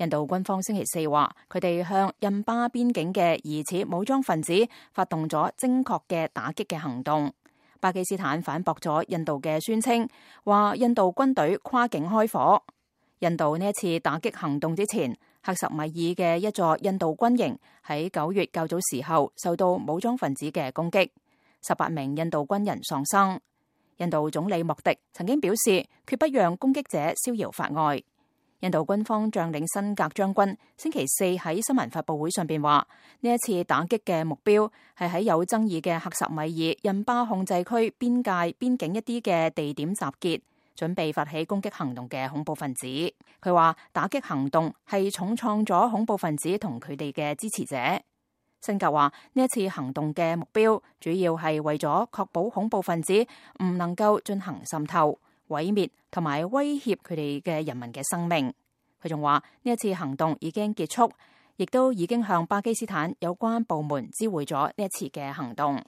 印度軍方星期四話，佢哋向印巴邊境嘅疑似武裝分子發動咗精確嘅打擊嘅行動。巴基斯坦反駁咗印度嘅宣稱，話印度軍隊跨境開火。印度呢一次打擊行動之前，克什米爾嘅一座印度軍營喺9月較早時候受到武裝分子嘅攻擊，18名印度軍人喪生。印度總理莫迪曾經表示，決不讓攻擊者逍遙法外。印度軍方將領辛格將軍星期四喺新聞發佈會上邊話，呢一次打擊嘅目標係喺有爭議嘅克什米爾印巴控制區邊境一啲嘅地點集結，準備發起攻擊行動嘅恐怖分子。佢話打擊行動係重創咗恐怖分子同佢哋嘅支持者。辛格話呢一次行動嘅目標主要係為咗確保恐怖分子唔能夠進行滲透、毀滅同埋威脅佢哋嘅人民嘅生命。佢仲話呢一次行動已經結束，亦都已經向巴基斯坦有關部門知會咗呢一次嘅行動。